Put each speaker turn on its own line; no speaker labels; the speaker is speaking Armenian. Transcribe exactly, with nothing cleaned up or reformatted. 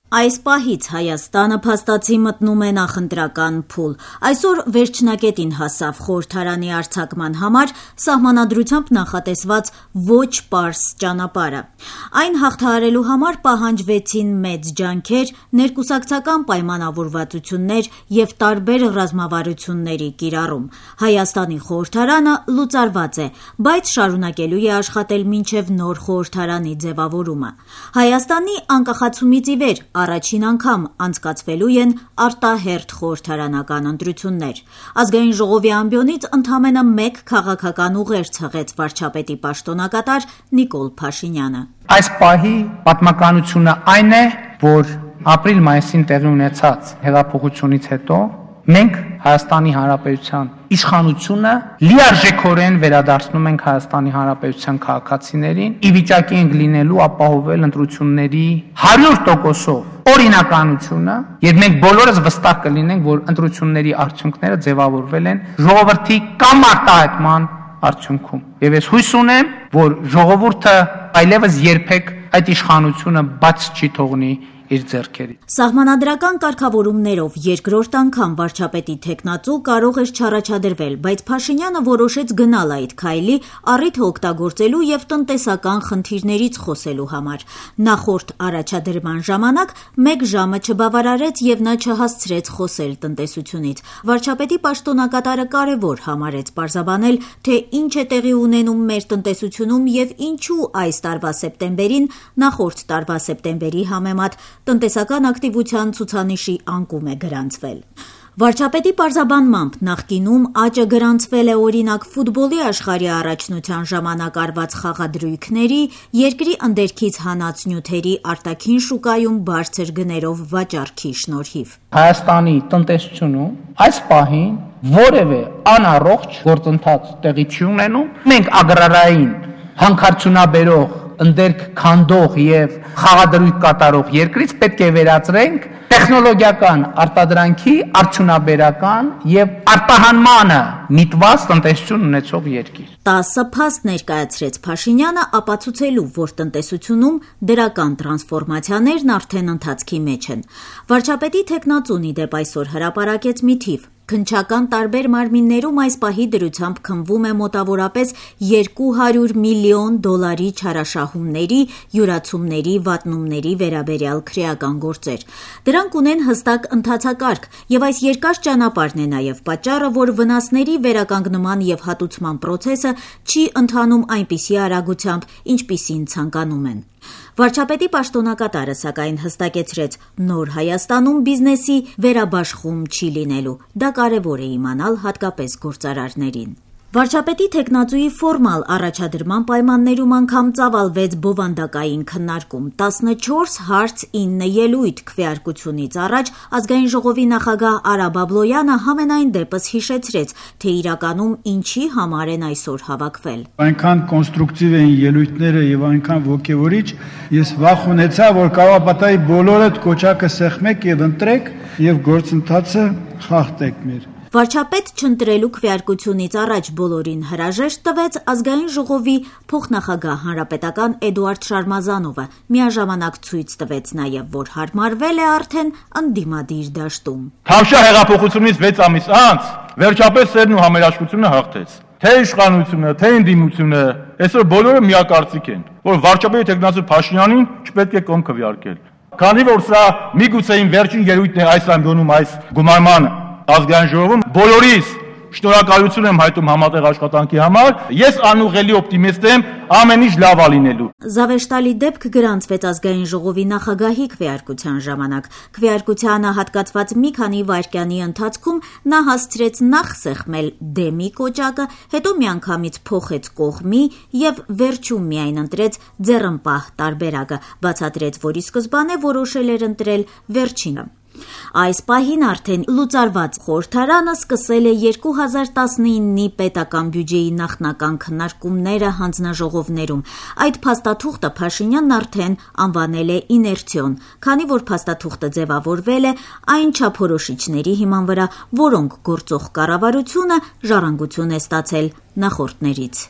Այս պահից Հայաստանը փաստացի մտնում է նախընտրական փուլ։ Այսօր վերջնակետին հասավ խորհրդարանի արձակման համար սահմանադրությամբ նախատեսված ոչ պարզ ճանապարհը։ Այն հաղթահարելու համար պահանջվեցին մեծ ջանքեր, ներկուսակցական պայմանավորվածություններ եւ տարբեր ռազմավարությունների կիրառում։ Հայաստանի խորհրդարանը լուծարված է, բայց շարունակելու է աշխատել մինչեւ նոր խորհրդարանի ձևավորումը։ Հայաստանի անկախացումից ի վեր առաջին անգամ անցկացվելու են արտահերթ խորհրդարանական ընտրություններ։ Ազգային ժողովի ամբիոնից ընդամենը մեկ քաղաքական ուղերձ հղեց վարչապետի պաշտոնակատար Նիկոլ Փաշինյանը։
Այս պահի պատմականությունը այն է, որ ապրիլ-մայիսին տեղի ունեցած հեղափոխությունից հետո մենք Հայաստանի Հանրապետության իշխանությունը լիարժեքորեն վերադարձնում ենք Հայաստանի Հանրապետության քաղաքացիներին, ի վիճակի ենք լինելու ապահովել ընտրությունների հարյուր տոկոսով օրինականությունը, եւ մենք բոլորս վստահ կլինենք, որ ընտրությունների արդյունքները ձևավորվել են ժողովրդի կամ արտահայտման արդյունքում։ Եվ ես հույս ունեմ, որ ժողովուրդը այլևս երբեք այդ իշխանությունը բաց չի թողնի իր ձեռքերի։
Սահմանադրական կարգավորումներով երկրորդ անգամ վարչապետի թեկնածու կարող էր չառաջադրվել, բայց Փաշինյանը որոշեց գնալ այդ քայլի, առիթը օգտագործելու եւ տնտեսական խնդիրներից խոսելու համար։ Նախորդ առաջադրման ժամանակ մեկ ժամը չբավարարեց եւ նա չհասցրեց խոսել տնտեսությունից։ Վարչապետի պաշտոնակատարը կարեւոր համարեց պարզաբանել, թե ինչ է տեղի ունենում մեր տնտեսությունում եւ ինչու այս տարվա սեպտեմբերին նախորդ տարվա սեպտեմբերի համեմատ տնտեսական ակտիվության ցուցանիշի անկում է գրանցվել։ Վարչապետի պարզաբանմամբ նախկինում աճը գրանցվել է օրինակ ֆուտբոլի աշխարհի առաջնության ժամանակ արված խաղադրույքների, երկրի ընդերքից հանած նյութերի արտաքին շուկայում բարձր գներով վաճառքի շնորհիվ։
Հայաստանի տնտեսությունում այս պահին որևէ անառողջ գործընթաց տեղի չի ունենում։ Մենք ագրարային հանքարդյունաբերող ընդերք քանդող եւ խաղադրույք կատարող երկրից պետք է վերածրենք տեխնոլոգիական արտադրանքի արդյունաբերական եւ արտահանմանը միտված տնտեսություն ունեցող երկիր։
տասը փաստ ներկայացրեց Փաշինյանը ապացուցելու, որ տնտեսությունում դրական տրանսֆորմացիաներն արդեն ընթացքի մեջ են։ Վարչապետի թեկնածուն ի դեպ այսօր հրապարակեց մի թիվ։ Քննչական տարբեր մարմիններում այս պահի դրությամբ քննվում է մոտավորապես երկու հարյուր միլիոն դոլարի չարաշահումների, յուրացումների, վատնումների վերաբերյալ քրեական գործեր։ Դրանք ունեն հստակ ընթացակարգ, եւ այս երկար ճանապարհն է նաեւ պատճառը, որ վնասների վերականգնման եւ հատուցման process-ը չի ընթանում այնպիսի արագությամբ, ինչպիսին ցանկանում են։ Վարչապետի պաշտոնակատարը սակայն հստակեցրեց, նոր Հայաստանում բիզնեսի վերաբաշխում չի լինելու։ Դա կարևոր է իմանալ հատկապես գործարարներին։ Վարչապետի թեկնածուի ֆորմալ առաջադրման պայմաններում անգամ ծավալվեց բովանդակային քննարկում։ տասնչորս հարց ինը ելույթ քվեարկությունից առաջ Ազգային ժողովի նախագահ Արա Բաբլոյանը համենայն դեպս հիշեցրեց, թե իրականում ինչի համար են այսօր հավաքվել։
Այնքան կոնստրուկտիվ էին ելույթները եւ այնքան ոգեվորիչ, ես վախ ունեցա, որ կարող պատահի բոլորդ կոչակը սեղմեք եւ ընտրեք եւ գործընթացը խախտեք մեր։
Վարչապետ չընտրելու քվեարկությունից առաջ բոլորին հրաժեշտ տվեց Ազգային ժողովի փոխնախագահ հանրապետական Էդուարդ Շարմազանովը, միաժամանակ ցույց տվեց նաև, որ հարմարվել է արդեն ընդդիմադիր դաշտում։
Թավշյա հեղափոխությունից վեց ամիս անց վերջապես սերն ու համերաշխությունը հաղթեց։ Թե իշխանությունը, թե ընդդիմությունը, այսօր բոլորը միակարծիք են, որ վարչապետի թեկնածու Փաշինյանին չպետք է կողմ քվեարկել։ Քանի որ սա միգուցե վերջին ելույթն է այս ամբիոնում այս գումարման Ազգային ժողովում, բոլորիս շնորհակալություն եմ հայտում համատեղ աշխատանքի համար, ես անուղղելի օպտիմիստ եմ, ամեն ինչ լավ է լինելու։
Զավեշտալի դեպք գրանցվեց Ազգային ժողովի նախագահի քվեարկության ժամանակ։ Քվեարկությանը հատկացված մի քանի վայրկյանի ընթացքում նա հասցրեց նախ սեղմել դեմի կոճակը, հետո միանգամից փոխեց կողմի եւ վերջում միայն ընտրեց ձեռնպահ տարբերակը, բացատրեց, որ ի սկզբանե որոշել էր ընտրել վերջինը։ Այս պահին արդեն լուծարված խորհրդարանը սկսել է երկու հազար տասնինի պետական բյուջեի նախնական քննարկումները հանձնաժողովներում։ Այդ փաստաթուղթը Փաշինյանն արդեն անվանել է իներցիոն, քանի որ փաստաթուղթը ձևավորվել է այն չափորոշիչների հիման վրա, որոնք գործող կառավարությունը ժառանգություն է ստացել նախորդներից։